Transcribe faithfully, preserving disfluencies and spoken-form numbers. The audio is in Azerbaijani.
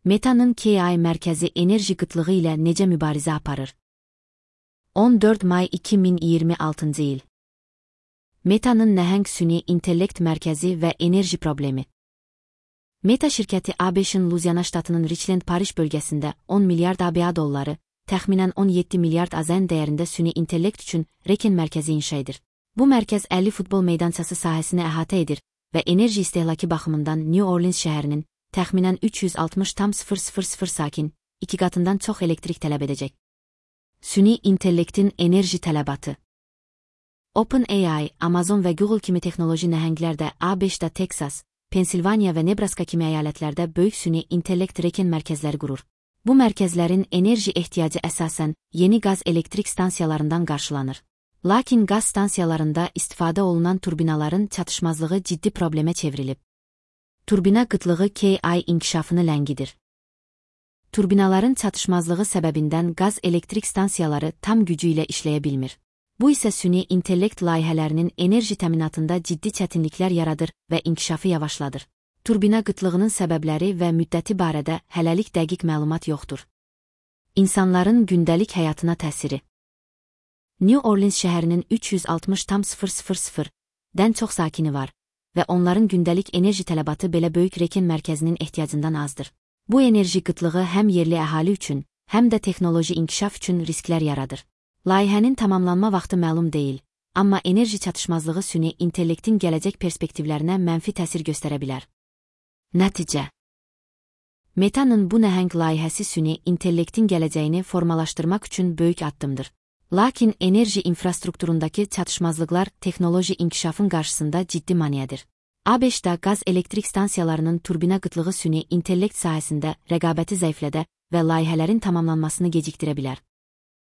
Meta'nın K I mərkəzi enerji qıtlığı ilə necə mübarizə aparır? on dörd may iki min iyirmi altıncı il. Meta'nın nəhəng süni intellekt mərkəzi və enerji problemi. Meta şirkəti A B Ş'in Luziana ştatının Richland Parish bölgəsində on milyard A B A dolları, təxminən on yeddi milyard A Z N dəyərində süni intellekt üçün reken mərkəzi inşa edir. Bu mərkəz əlli futbol meydançası sahəsini əhatə edir və enerji istehlakı baxımından New Orleans şəhərinin təxminən üç yüz altmış min sakin, iki qatından çox elektrik tələb edəcək. Süni intellektin enerji tələbatı. OpenAI, Amazon və Google kimi texnoloji nəhənglər də A B Ş'da Texas, Pensilvaniya və Nebraska kimi əyalətlərdə böyük süni intellekt reken mərkəzləri qurur. Bu mərkəzlərin enerji ehtiyacı əsasən yeni qaz elektrik stansiyalarından qarşılanır. Lakin qaz stansiyalarında istifadə olunan turbinaların çatışmazlığı ciddi problemə çevrilib. Turbina qıtlığı K I inkişafını ləngidir. Turbinaların çatışmazlığı səbəbindən qaz elektrik stansiyaları tam gücü ilə işləyə bilmir. Bu isə süni intellekt layihələrinin enerji təminatında ciddi çətinliklər yaradır və inkişafı yavaşladır. Turbina qıtlığının səbəbləri və müddəti barədə hələlik dəqiq məlumat yoxdur. İnsanların gündəlik həyatına təsiri. New Orleans şəhərinin üç yüz altmış min-dən çox sakini var və onların gündəlik enerji tələbatı belə böyük reken mərkəzinin ehtiyacından azdır. Bu enerji qıtlığı həm yerli əhali üçün, həm də texnoloji inkişaf üçün risklər yaradır. Layihənin tamamlanma vaxtı məlum deyil, amma enerji çatışmazlığı süni intellektin gələcək perspektivlərinə mənfi təsir göstərə bilər. Nəticə. Meta'nın bu nəhəng layihəsi süni intellektin gələcəyini formalaşdırmaq üçün böyük addımdır. Lakin enerji infrastrukturundakı çatışmazlıqlar texnoloji inkişafın qarşısında ciddi maneədir. A B Ş'da qaz elektrik stansiyalarının turbina qıtlığı süni intellekt sahəsində rəqabəti zəiflədə və layihələrin tamamlanmasını gecikdirə bilər.